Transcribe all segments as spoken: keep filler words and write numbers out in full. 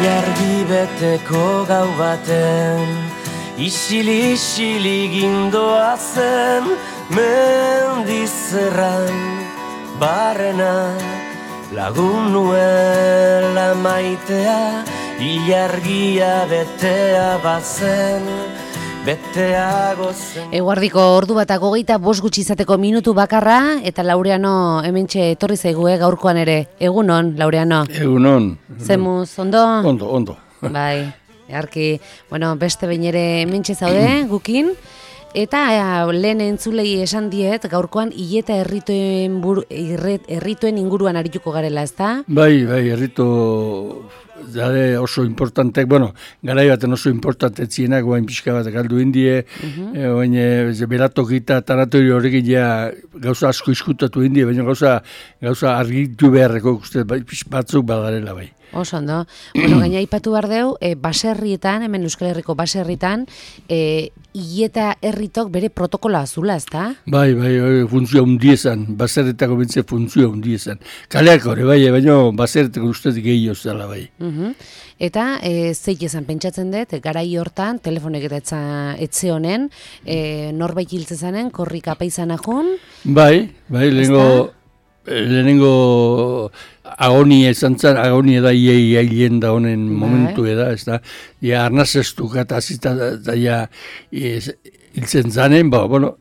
ilargi beteko gau baten, isili-isili gindoa zen, mendizerran barrena, lagun nuela maitea, ilargia betea bazen, beteago zen. Eguardiko ordu bat hogeita bost gutxi izateko minutu bakarra, eta Laureano hementxe etorri zaigu gaurkoan ere. Egunon, Laureano. Egunon. Zemuz, ondo? Ondo, ondo. Bai, eharki, bueno, beste behin ere hementxe zaude, gukin. Eta lehen entzulei esan diet, gaurkoan hileta errituen, buru, irret, errituen inguruan arituko garela, ezta? Bai, bai, erritu zare oso importantek, bueno, garai baten oso importantetzienak, guain pixka bat galdu indie, uh-huh. e, oain e, beratokita tanatorio horrekin ja gauza asko iskutatu indie, baina gauza, gauza argitu beharreko uste batzuk badarela bai. Oso ondo. Bueno, gaina aipatu behar deu, e, baserrietan, hemen Euskal Herriko baserrietan, e, hileta herritok bere protokola azula, ezta? Bai, bai, bai, funtzioa hundiezan, baserretako bentze funtzioa hundiezan. Kaleak hori, bai, baina baserretako ustez gehiago zela, bai. Uh-huh. Eta e, zeik esan pentsatzen dut, garai hortan, telefonek eta etxe honen, e, norbait hiltzezanen, korrika apaizan ahun? Bai, bai, lehenengo... Lehenengo agonia izan zen, agonia da iei ailen da honen momentu eda, ez da, ja arnazestuka eta azita da ja hiltzen zanen, ba, bueno,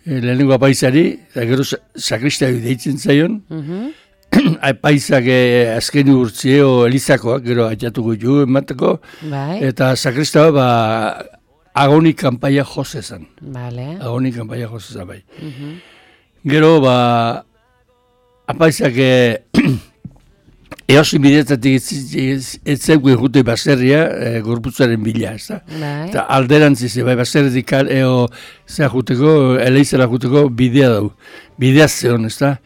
lehenengo apaizari, eta gero sakristaio deitzen zaion, uh-huh. apaizak azken urtzio elizakoak, gero atxatuko ju emateko, bai. Eta sakristao, ba, agoni kanpaia josezan. Vale. Agoni kanpaia josezan, bai. Uh-huh. Gero, ba, apaizak eosin bidetatik ez zegoen jute baserria e, gorputzaren bila, ez da? Eta alderantziz, bai, baserretik eo zea juteko, eleizera juteko bidea dau. Bidea zeon, ez da?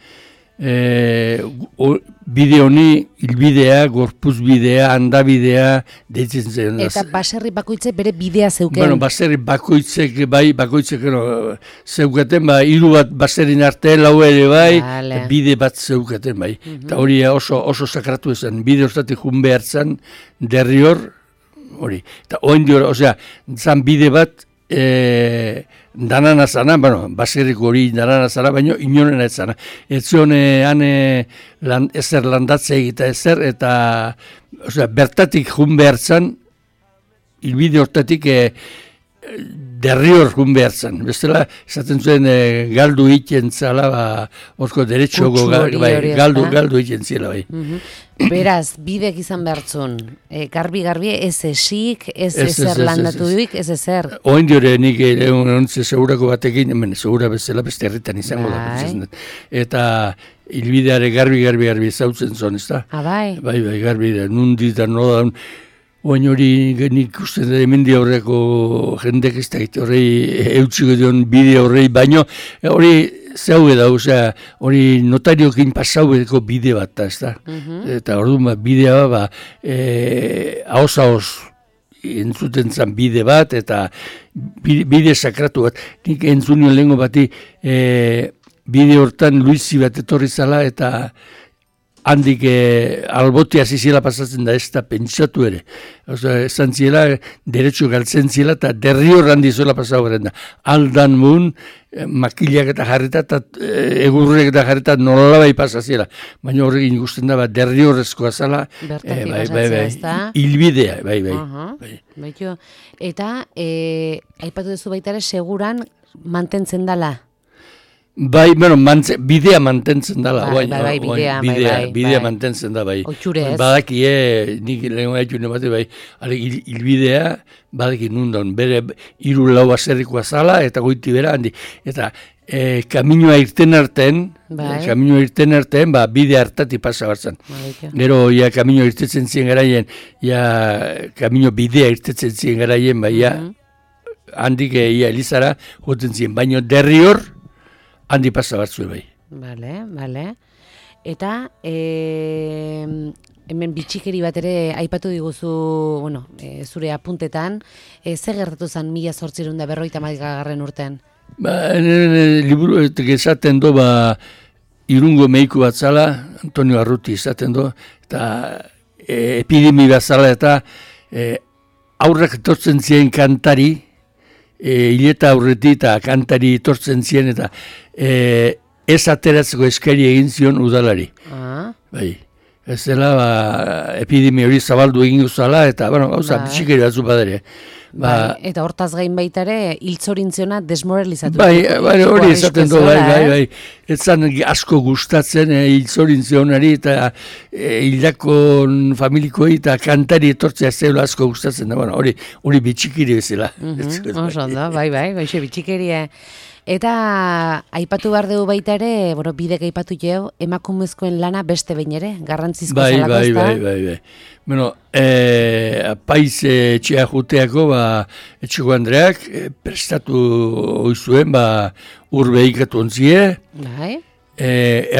E, o, bide honi, hilbidea, gorpuz bidea, handabidea, deitzen zen. Eta baserri bakoitzek bere bidea zeuken? Bueno, baserri bakoitzek, bai, bakoitzek, no, zeukaten, ba, hiru bat baserrin arte, lau ere, bai, vale. Bide bat zeukaten, bai. Uh-huh. Eta hori oso, oso sakratu esan, bide hortatik jun behar zan, derri hor, hori. Eta oen dior, osea, zan bide bat, E, danana zana, bueno, baserriko hori danana zana, baina inoren ez zana. Ez zion hane land, ezer landatze egita ezer, eta osea, bertatik jun behar zan, hilbide hortatik e, derri hor jun behar zan. Bestela, esaten zuen e, galdu iten zala, ba, orko derechogo bai, galdu, galdu iten zela, bai. Uh-huh. Beraz, bidek izan behartzun, e, garbi-garbi ez esik, ez ezer landatu duik, ez ezer. Oen diore nik egontze segurako batekin, hemen segura bezala beste herritan izango da. Eta hilbideare garbi-garbi-garbi zautzen zon, ez da? Ah, bai? Bai, bai, garbi da, nundi da, no da, oen hori nik uste da hemendi horreko jendek ez da, horrei eutxiko dion bide horrei, baino hori zeu da, osea, hori notariokin pasaudeko bide bat da, ez da. Uh-huh. Eta orduan bat bidea ba, e, haoz-haoz entzuten zan bide bat, eta bide, bide sakratu bat. Nik entzunion lehenko bati e, bide hortan Luisi bat etorri zala, eta handik e, albotia zizela pasatzen da ez da pentsatu ere. Oso, esan ziela, derecho galtzen ziela, eta derri hor handi zuela pasau garen da. Aldan mun, e, makilak eta jarreta, eta e, egurrek eta jarreta nolabai pasaziela. Baina horrekin ikusten da, ba, derri horrezkoa zala, e, bai, bai, bai, hilbidea, bai, bai. Uh-huh. bai. Baito, eta, e, aipatu duzu baita ere, seguran mantentzen dala? Bai, bueno, mantze, bidea mantentzen dala. Bai, bai, bai, bidea, bai, bidea, bai, bidea mantentzen da, bai. Oitxure ez. Badakie, nik lehen gaitu nemate, bai, hilbidea, badaki nundan, bere hiru lau aserrikoa zala, eta goiti bera handi. Eta e, kaminoa irten arten, bai. kaminoa irten arten, ba, bide hartati pasa batzan. Bai, gero, ja, kaminoa irtetzen ziren garaien, ja, kamino bidea irtetzen ziren garaien, bai, ja, uh-huh. handik, ja, Elizara, joten ziren, baino derri hor, handi pasa batzu bai. Bale, bale. Eta e, hemen bitxikeri bat ere aipatu diguzu, bueno, e, zure apuntetan, e, ze gertatu zen mila zortzirun da berroita maikagarren urtean? Ba, liburu esaten do, ba, Irungo meiku bat zala, Antonio Arruti izaten do, eta e, epidemi bazala eta e, aurrak etortzen ziren kantari, e, hileta aurretik eta kantari etortzen ziren eta e, ez ateratzeko eskari egin zion udalari. Ah. Bai. Ez dela, ba, epidemi hori zabaldu egin guzala, eta, bueno, gauza, Bai. bitxikeri batzu badere. Ba, Bai, eta hortaz gain baita ere, hiltzorintziona desmoralizatu. bai, bai, hori esaten du, bai, bai, eh? bai. Ez zan asko gustatzen e, hiltzorintzionari eta e, hildakon familikoei eta kantari etortzea zeula asko gustatzen da, bueno, hori, hori bitxikiri bezala. Mhm, oso ondo, bai, bai, goixe bitxikeria. Eta aipatu behar dugu baita ere, bueno, bidek aipatu jau, emakumezkoen lana beste behin ere, garrantzizko bai, zalako, bai, ezta? bai, bai, bai. Bueno, e, apaiz etxea juteako, ba, etxeko Andreak e, prestatu oizuen, ba, ur behikatu ontzie, Bai, e,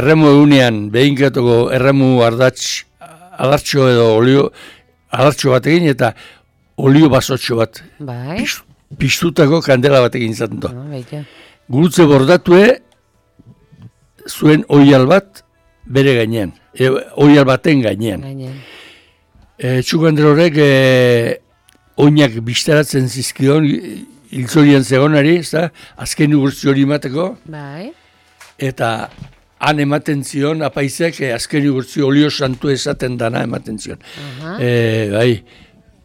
erremu egunean, behinkatuko erremu ardatx, adartxo edo olio, adartxo batekin eta olio basotxo bat. bai. Pis- Piztutako kandela batekin izaten du. Ah, baita. Gurutze bordatue zuen oial bat bere gainean, e, oial baten gainean. Gainean. E, Txuko Andre horrek e, oinak bistaratzen zizkion hiltzorian zegonari, ezta, azken ugurtzi hori emateko, Bai, eta han ematen zion apaizek e, azken ugurtzi olio santu esaten dana ematen zion. aha. E, bai,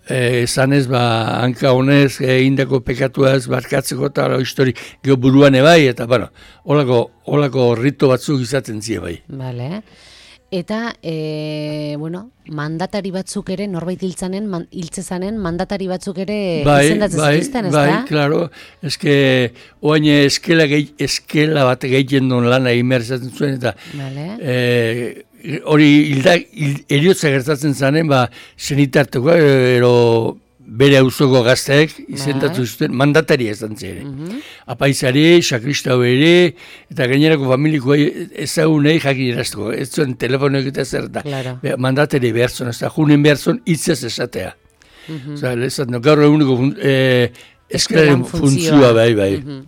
e, esan ez, ba, hanka honez, egindako pekatuaz barkatzeko eta hala histori geho buruan ebai, eta, bueno, holako, holako rito batzuk izaten zie bai. Bale. Eta, e, bueno, mandatari batzuk ere, norbait hiltzanen, man, hiltzezanen, mandatari batzuk ere izendatzen bai, zituzten, ez bai, da? claro, eske, oain eskela, gehi, eskela bat gehien duen lana egin behar izaten zuen, eta Bale. e, hori hilda, hil, eriotza gertatzen zanen, ba, zenitarteko, ero bere auzoko gazteek izendatu zuten mandatari ezan ere. Mhm. Apaizari, sakristau ere, eta gainerako familiko ezagunei jakin eraztuko. Ez zuen telefonoek eta zer da. Claro. Be, mandatari behar zuen, ez da, junen behar zuen hitzez esatea. Mhm. Osa, lezat, no, gaur eguneko fun, e, eskalaren Eskelan funtzioa. funtzioa, bai, bai. Mhm.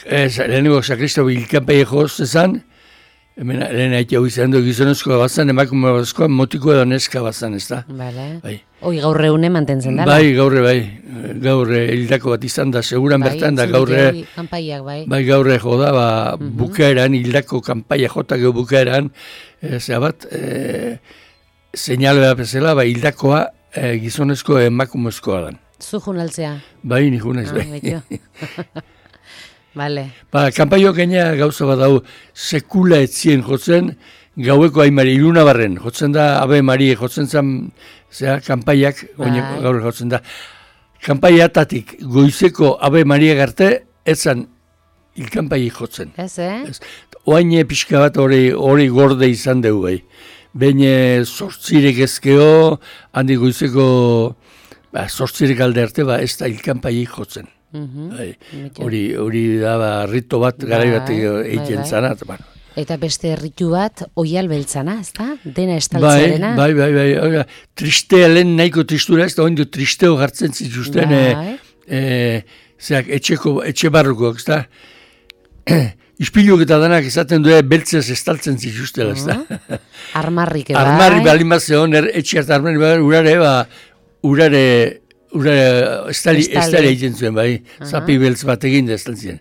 Ez, lehenengo sakristau hilkanpai joz ezan, hemen lehen haitea izan du gizonezkoa bazan, emakume bazkoa motiko edo neska bazan, ez da. Bale. Bai. Hoi gaur eune mantentzen dela. Bai, gaurre, bai. Gaurre hildako bat izan da, seguran bertan da, gaurre, kanpaiak, bai. bai, gaurre joda, ba, Mhm. bukaeran, hildako kanpaia jota geho bukaeran, e, zera bat, e, seinale bat bezala, ba, hildakoa e, gizonezko emakumezkoa dan. Zu junaltzea. Bai, ni junez, Ah, bai. betio. Bale. Ba, kanpaio gaina gauza bat hau, sekula etzien jotzen, gaueko aimari, iluna barren, jotzen da, Ave Maria, jotzen zen, zera, kanpaiak, oine, Bai. gaur jotzen da. Kanpaiatatik, goizeko Ave Maria garte, etzan, ilkanpai jotzen. Ez, eh? Ez. Oaine pixka bat hori, hori gorde izan dugu bai. Behin sortzirek ezkeo, handi goizeko, ba, sortzirek alde arte, ba, ez da ilkanpai jotzen. Mhm. Bai. Betio. Hori, hori da, ba, rito bat, garai bat Bai, egiten bai, bai. zanat. Bueno. Eta beste erritu bat, oial beltzana, ez da? Dena Bai, estaltzearena. bai, bai, bai, bai, tristea lehen nahiko tristura ez da, oindu tristeo gartzen zituzten, Bai. e, e, zeak, etxeko, etxe barrukoak, ez da? Ispiluk eta danak esaten du beltzez estaltzen zituztela, ez da? Armarrik, bai. Armarri balin bat zegoen, er, etxe hartu armarri bai, urare, ba, urare, urare, estali, Estali. estali egiten zuen, bai, zapi beltz bat egin da estaltzen.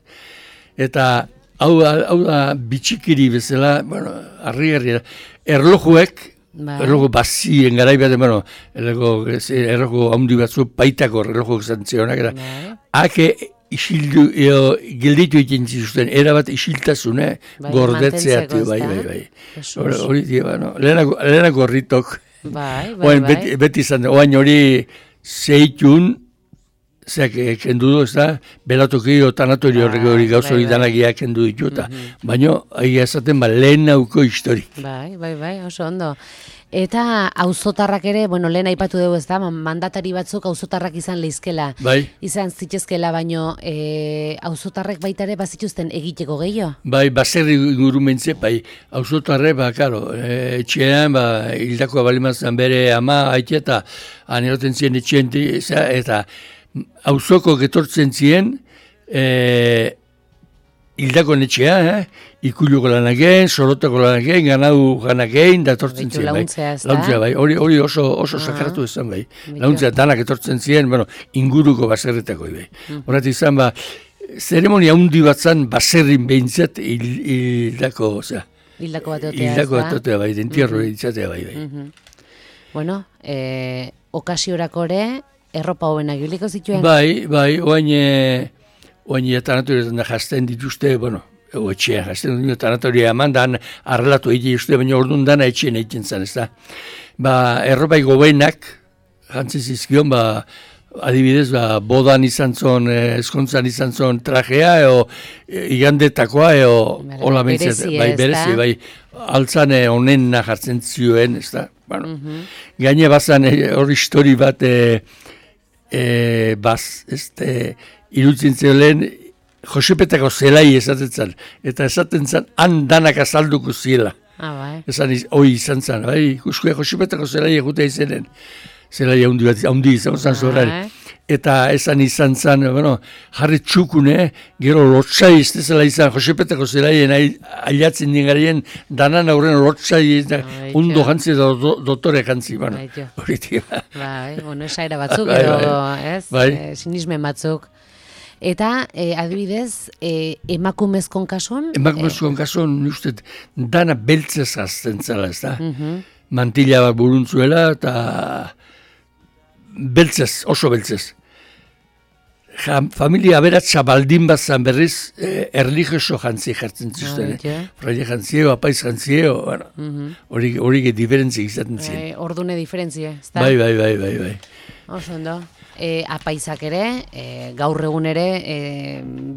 Eta, hau, hau da, bitxikiri bezala, bueno, harri-harri, erlojuek, Bai. erloju bazien garai bat, bueno, erloju, erloju handi batzu, paitako erloju esan zionak, eta, Bai. hake, isildu, eo, gilditu egiten zituzten, erabat isiltasune, Bai, gordetzea, mantentzeko, tio, bai, ezta? bai, bai. Jesus. Hori, hori, tio, bueno, lehenako, lehenako ritok, Bai, bai, oain, bai. beti, beti izan, oain hori zeitun, zeak eh, kendu du, ez da, belatoki o tanatorio horrek hori gauza hori bai, bai. danagia kendu ditu, eta, baino, aia esaten, ba, lehen nauko historik. Bai, bai, bai, oso ondo. Eta auzotarrak ere, bueno, lehen aipatu dugu ez da, mandatari batzuk auzotarrak izan leizkela. Bai, Izan zitezkela, baino e, auzotarrek baita ere bazituzten egiteko gehiago. bai, baserri ingurumentze, bai, auzotarre, ba, karo, e, etxean, ba, hildakoa balimazan bere ama, haite, eta aneroten ziren etxean, eta auzoko getortzen ziren, e, hildako netxea, eh? Ikuluko lanak egin, sorotako lanak egin, ganadu ganak egin, da etortzen ziren, bai. Launtzea, bai. Hori, hori oso, oso ah, sakratu izan, bai. Launtzea danak etortzen ziren, bueno, inguruko baserretako, bai. Horat izan, ba, zeremonia hundi bat zan, baserrin behintzat hildako, osea. Hildako bat otea, Hildako bat otea, bai, dentierro behintzatea, bai, bai. Bueno, eh, okasiorako ere, erropa hobenak ibiliko zituen? Bai, bai, oain, oain tanatoretan da jazten dituzte, bueno, ego etxean jazten dut, tanatoria eman da, arrelatu egite uste, baina orduan dana etxean egiten zen, ez da. Ba, erropa gobenak, jantzen zizkion, ba, adibidez, ba, bodan izan zon, eskontzan izan zon trajea, eo, igandetakoa, eo, hola bentzat, bai, berezi, bai, altzan honen jartzen zioen, ez da. Bueno, gaine bazan hor histori bat, e, e, baz, ez da, irutzen zelen, Josepetako zelai esaten zen, eta esaten zen, han danak azalduko ziela. Ah, bai. Esan, hoi izan zen, bai, ikuskoa Josepetako zelai egutea izenen. Zelai haundi bat, haundi izan zen zorari. Eta esan izan zen, bueno, jarri txukune, gero lotsai ez dezela izan, Josepetako zelaien ailatzen dingarien, danan aurren lotsai, ondo jantzi eta dotore jantzi, bueno, horitik. Bai, bueno, esaira batzuk, edo, ez, sinismen batzuk. Eta, eh, adibidez, eh, emakumezkon kasuan? Emakumezkon kasuan, uste, dana beltzez azten zela, ez da? Mantila bat buruntzuela, eta beltzez, oso beltzez. Ja, familia aberatza baldin bat zan berriz, eh, erlijioso jantzi jartzen zuzten. Fraile jantzio, apaiz jantzio, bueno, hori uh -huh. diferentzi izaten ziren. Eh, ordune diferentzie, ez da? Bai, bai, bai, bai, bai. Oso ondo. E, apaizak ere, e, gaur egun ere, e,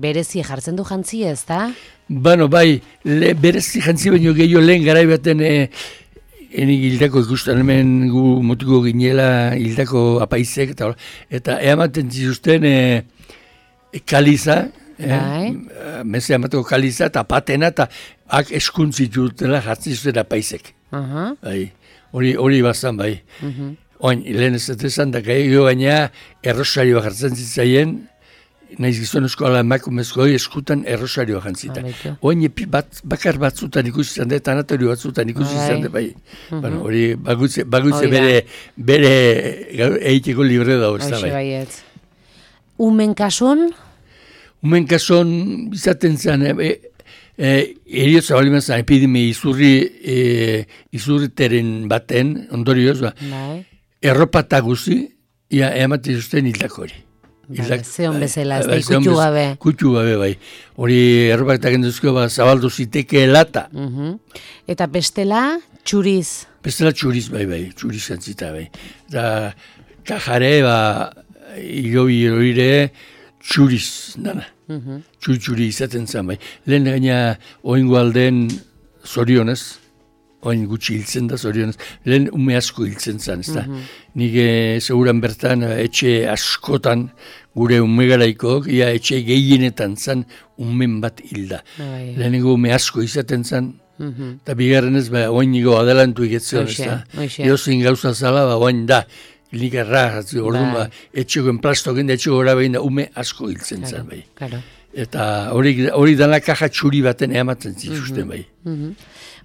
berezi jartzen du jantzi, ez da? Bueno, bai, le, berezi jantzi baino gehiago lehen garai baten e, enik hildako ikusten hemen gu motiko ginela hildako apaizek, eta, eta eamaten zizuzten e, e, kaliza, bai. e, meze amateko kaliza, eta patena, eta ak eskuntzitutela jartzen zizuten apaizek. Uh -huh. Bai, hori, hori bazan, bai. Uh -huh. Oin, lehen ez esan, da gehiago baina errosarioa jartzen zitzaien, nahiz gizonezko ala emakumezko eskutan errosarioa jantzita. Oin, bat, bakar batzutan ikusi izan da, tanatorio batzutan ikusi izan da, bai. Bueno, hori bagutze, bagutze bere, bere eiteko libre dago, ez da, bai. Umen kason? Umen kason, izaten zen, e, e, eriotza bali zen, epidemia izurri, e, izurriteren baten, ondorioz, ba. Bai. Erropata guzi, ia ematen zuzten hildako hori. Zeon bezala, ez da ikutxu gabe. Kutxu gabe, bai. Hori erropatak enduzko, ba, zabaldu ziteke lata. Eta bestela, txuriz? Bestela txuriz, bai, bai, txuriz jantzita, bai. Eta kajare, ba, hilobi horire, txuriz, dana. Txuri-txuri izaten zen, bai. Lehen gaina, oingo alden zorionez, oin gutxi hiltzen da, zorionez, lehen ume asko hiltzen zen, ez da. Mm -hmm. Nik e, seguran bertan, etxe askotan, gure ume garaikoak, ia etxe gehienetan zen, umen bat hilda. Bai. Lehenengo ume asko izaten zen, eta mm -hmm. bigarren ez, ba, oin nigo adelantu iketzen, ez da. Eozin gauza zala, ba, oin da, nik erra, orduan, ba, etxeko enplastoken, etxeko gara behin da, ume asko hiltzen claro, zen, bai. Claro. Eta hori, hori dana kaja txuri baten eamaten zituzten, bai. Mm -hmm.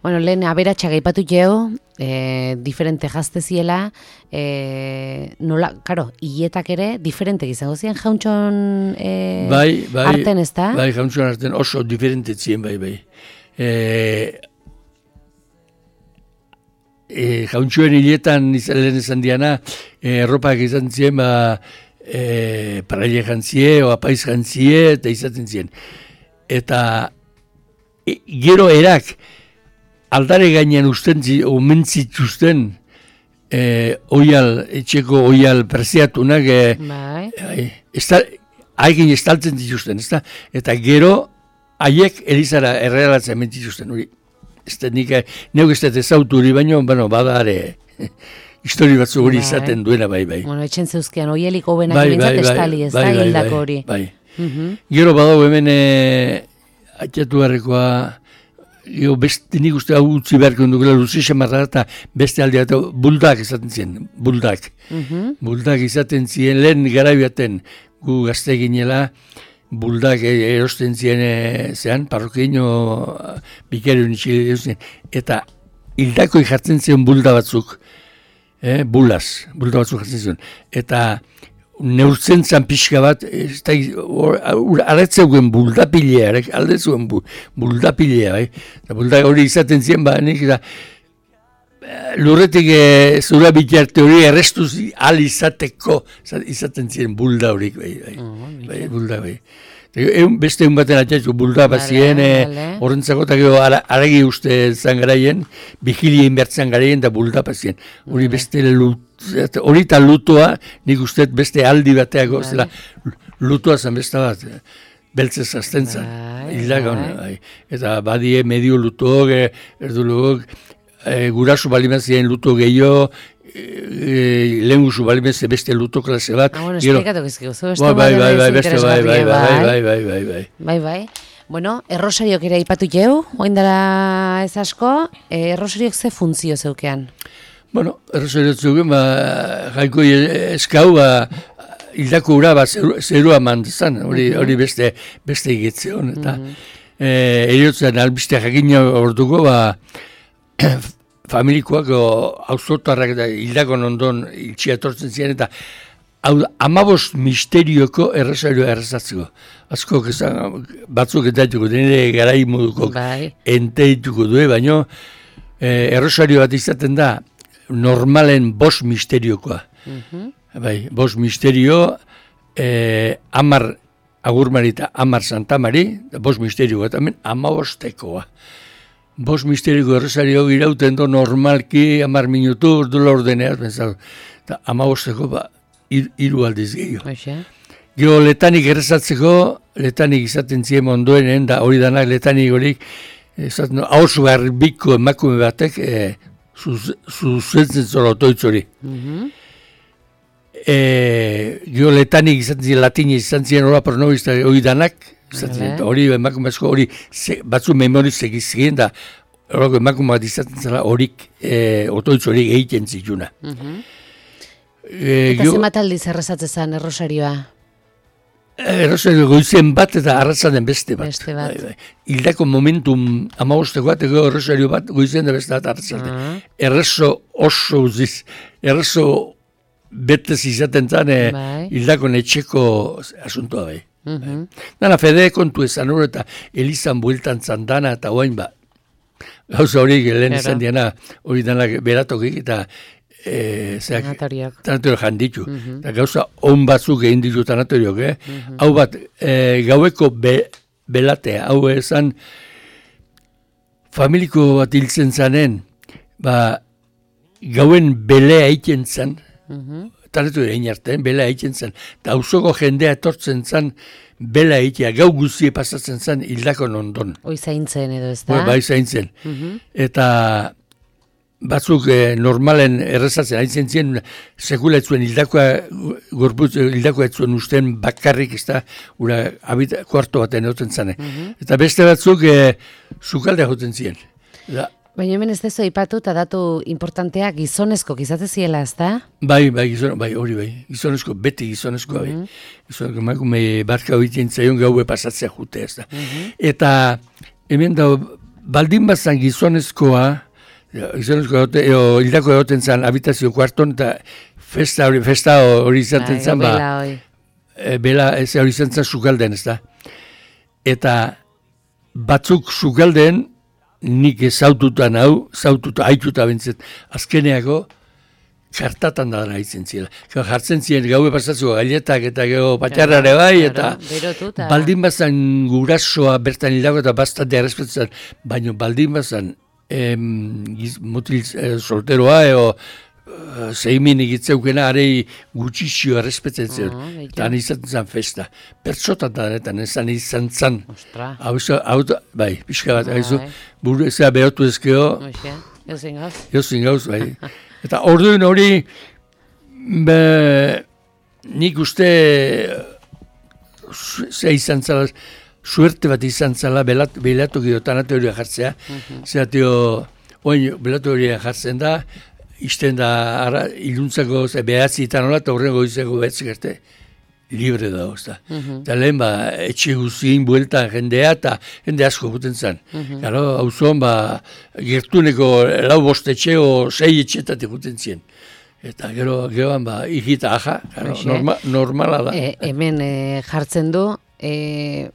Bueno, lehen aberatxa gaipatu jeo, e, diferente jazteziela, e, nola, karo, hietak ere, diferente izango ziren jauntxon e, bai, bai, arten, ez da? Bai, jauntxon arten oso diferente ziren, bai, bai. E, e, jauntxoen hiletan lehen esan diana, e, erropak izan ziren, ba, e, paraile jantzie, o apaiz jantzie, eta izaten ziren. Eta e, gero erak, aldare gainean usten, omentzituzten, eh, oial, etxeko oial preziatunak, eh, bai. Haikin estaltzen dituzten, ez da? Eta gero, haiek elizara errealatzen mentituzten, hori. Ez da nik, neuk ez da ezautu hori, baina, bueno, badare, histori batzu hori izaten duena, bai, bai. Bueno, etxen zeuzkian, oielik hobenak bai, bintzat bai, estali, ez bai, da, hildako bai, hori. Bai, bai. Gero badago hemen, eh, atxatu barrekoa, Jo, beste nik uste hau utzi beharko dukela luzisa marra eta beste aldea eta buldak izaten ziren, buldak. Mm -hmm. Buldak izaten ziren lehen garaibaten gu gazte ginela, buldak erosten ziren zean, parrokiino bikarion itxile erosten, eta hildako jartzen ziren bulda batzuk, eh, bulaz, bulda batzuk jartzen ziren, eta neurtzen zan pixka bat, arretzeugen buldapilea, alde zuen buldapilea, bai? Bulda hori izaten ziren, ba, nik, eta lurretik e, zura bitarte hori errestuz al izateko izaten ziren bulda horik, bai, bai, oh, bai, bulda, bai. Egun, beste egun baten atxatzu, bulda bat ziren, horrentzako eta gero aragi uste zan garaien, vigilien bertzen garaien da bulda bat ziren. Hori beste lut, hori eta lutoa, nik uste beste aldi bateako, zela, lutoa zan beste bat, beltzez azten zan, hildagon, bai. Eta badie medio lutoak, erdulugok, E, gurasu balimazien luto gehiago, e, e, lehen guzu balimazien beste luto klase bat. Ah, bueno, esplikatu gizkigu, zu beste bai, bai, bai, beste bai, bai, bai, bai, bai, bai, bai. Bai, bai. Bueno, errosariok ere aipatu jau, oindara ez asko, errosariok ze funtzio zeukean? Bueno, errosariok zeuken, ba, jaiko eskau, ba, hildako ura, ba, zerua mandezan, hori, hori beste, beste egitzeon, eta mm-hmm. e, eriotzen albiste jakina orduko, ba, familikoak auzotarrak eta hildakon ondon iltsia etortzen ziren eta amabost misterioko errosarioa errezatzeko. Azko batzuk entaituko, denire garai moduko entaituko du, baina eh, errosario bat izaten da normalen bost misteriokoa. Mm-hmm. Bai, bost misterio, eh, amar agurmari eta amar santamari, bost misterioa eta hemen amabostekoa. Bost misteriko errosario irauten do normalki amar minutu urdula ordeneaz, benzau. Eta amabosteko ba, ir, iru aldiz gehiago. Gero letanik errezatzeko, letanik izaten ziren ondoenen, da hori danak letanik horik, ezaten, haus garbiko emakume batek, e, zuzentzen zora otoitz hori. Mm-hmm. E, gero letanik izaten ziren latinez izan ziren hori pronomista hori danak, hori emakumezko hori batzu memorizek izgien da horreko emakume bat izaten zela horik e, otoitz horik egiten zituna. Mm-hmm. e, eta gio, zemat aldiz errezatzen errosarioa? Errosario goizen bat eta arratzaren beste bat. Beste bat. Bai, bai. Hildako momentum amabosteko bat, ego errosario bat goizen da beste bat arratzaren. Uh-huh. Errezo oso uziz, errezo betez izaten zan e, bai. Hildako netxeko asuntoa bai. Mm-hmm. Dana fede kontu ezan hori eta elizan bueltan zandana eta oain ba gauza hori lehen izan diana hori danak beratokik eta e, tanatoriok janditu mm-hmm. Eta gauza on batzuk egin ditu tanatoriok eh? Mm-hmm. Hau bat e, gaueko be, belatea hau ezan familiko bat hiltzen zanen ba gauen belea egiten zan mm-hmm. Taretu egin artean, bela egiten zen. Eta auzoko jendea etortzen zen, bela egitea, gau guztie pasatzen zen hildakon ondon. Hoi zaintzen edo ez da? Bai zaintzen. Mm-hmm. Eta batzuk eh, normalen errezatzen, haintzen ziren, sekula etzuen hildakoa, gorputz, hildakoa etzuen usten bakarrik, ez da, ura, abita, kuarto baten egoten zen. Mm-hmm. Eta beste batzuk, eh, zukaldea joten ziren. Da, baina hemen ez dezu aipatu eta datu importantea gizonezko gizate ziela, ez da? Bai, bai, gizon, bai, hori bai. Gizonezko, beti gizonezko, bai. Mm-hmm. Gizonezko, emakume barka horiten zaion gaue pasatzea jute, ez da. Mm-hmm. Eta hemen da, baldin bazan gizonezkoa, gizonezkoa, hildako egoten zan habitazio kuarton, eta festa hori, festa hori izaten bai, zan, ba, bela hori. E, bela, ez hori izan zan sukalden, ez da. Eta batzuk sukalden, nik zaututan hau, zaututa haituta bintzet, azkeneako kartatan da haitzen zila. Jartzen ziren gaue pasatzeko gailetak eta gero patxarrare bai, eta baldin bazan gurasoa bertan hildago eta bastate errespetzen, baina baldin bazan em, mutil eh, solteroa eo uh, zeimin egitzeukena arei gutxixio errespetzen zen, uh-huh, eta han izaten zen festa. Pertsotan da denetan, ezan izan zan. Hau, hau, bai, pixka bat, haizu, buru ezea behotu ezkeo. Euzin gauz. Euzin gauz, bai. Eta orduin hori, be, nik uste, ze izan zala, suerte bat izan zala, belatu gero tanateoria jartzea, uh-huh. Zeratio, oin, belatu horia jartzen da, izten da, ara, iluntzako, behatzi eta nola, eta horrengo izango behatzik arte, libre da, ozta. Eta lehen, ba, etxe guzien bueltan jendea, eta jende asko guten zen. Gero, hau zon, ba, gertuneko lau bost etxe o sei etxetat eguten zien. Eta gero, geroan, ba, ikita aja, gero, norma, normala da. E, hemen e, jartzen du, e,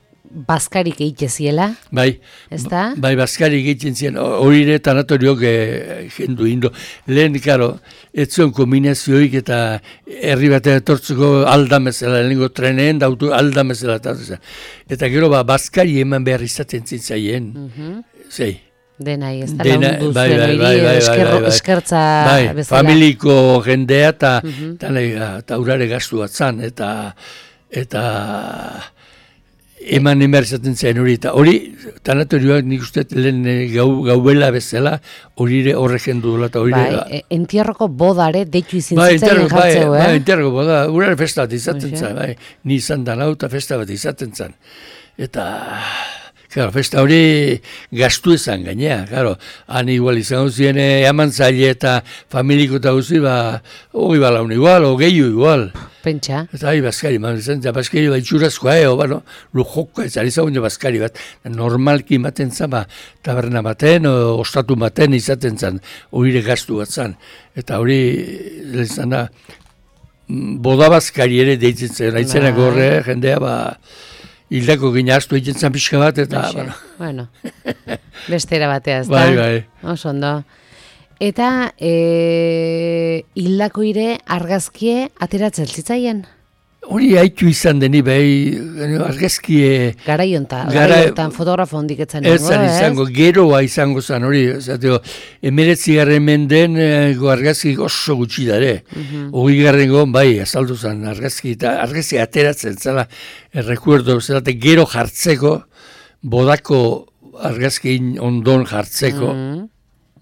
bazkarik eiteziela, bai, ezta? Bai, bazkarik egiten ziren, hori ere tanatoriok e, jendu indo. Lehen, karo, ez zuen kombinazioik eta herri batean etortzeko aldamezela, lehenengo treneen da auto aldamezela. Eta gero, ba, bazkari eman behar izaten zintzaien, mm-hmm. zei. Denai, ez da laundu zuen hori, eskertza bezala. Familiko jendea eta mm-hmm. urare gastu bat zan, eta eta eman emerzaten zen hori, eta hori, tanatorioak nik uste lehen gau, gauela bezala, hori horre jendu dola, eta hori... Bai, e, entierroko bodare, deitu izin bai, zitzailen jartzeu, bai, eh? Bai, entierroko boda, urare festa bat izaten zen, bai, ni izan dan hau eta festa bat izaten zen. Eta... Claro, festa hori gastu ezan gainea, claro, han igual izango ziren eman zaile eta familiko eta guzi, ba, hori balaun igual, o gehiu igual. Pentsa. Eta hai, bazkari, man, eta bazkari bat itxurazkoa, eh, o, bueno, lujoko, ez ari zagun bazkari bat, normalki ematen zan, ba, taberna baten, o, ostatu baten izaten zan, hori gastu bat zan. Eta hori, lehen da, boda bazkari ere deitzen zen, haitzenak horre, jendea, ba, hildako gina astu egiten zan pixka bat, eta... Bueno, bueno. Bestera batea, ez da? Bai, bai. Oso ondo. Eta e, hildako ire argazkie ateratzen zitzaien? Hori haitu izan deni, bai, argazkie... Garaiontan, garaiontan fotografo hondik etzan ez? Ez izango, geroa izango zan, hori, zateo, emeretzi garren menden go argazki oso gutxi dare. Hori garren gon, bai, azaldu zan, argazki, eta argazki ateratzen, zala, errekuerdo, zelate, gero jartzeko, bodako argazkin ondon jartzeko,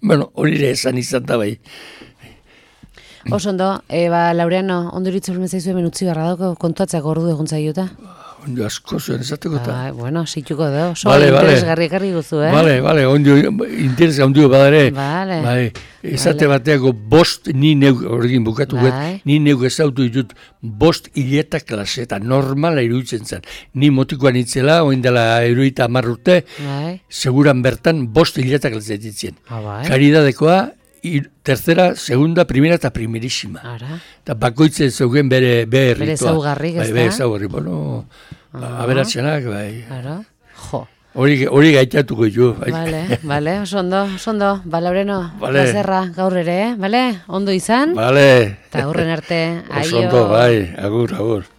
bueno, hori ere esan izan da, bai. Oso ondo, eba, Laureano, ondo iritzu filmen zaizu hemen utzi barra dauko, kontuatzak ordu egon zaiuta? Ondo asko zuen esateko eta. Ah, bueno, situko da, oso vale, interesgarri ekarri guzu, eh? Bale, bale, ondo, interesa ondio badare. Bale. Bai, esate vale. Bateako bost ni neuk, horrekin bukatu bai. Gut, ni neuk ezautu ditut bost hileta klase, eta normala iruditzen zen. Ni motikoan itzela, oin dela eruita amarrute, bai. Seguran bertan bost hileta klase ditzen. Ah, bai. Karidadekoa, tercera, segunda, primera eta primerísima. Ara. Eta bakoitzen zeugen bere berritoa. Bere zaugarrik, ez da? Bere zaugarrik, bueno, ah. aberatzenak, bai. Ara, jo. Hori, hori gaitatuko jo. Bale, bale, oso ondo, oso ondo. Ba, Laureno, vale. Plazerra gaur ere, eh? Bale, ondo izan. Bale. Eta aurren arte, aio. Oso ondo, bai, agur, agur.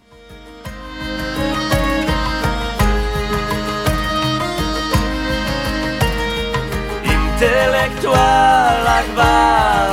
Intelektualak bai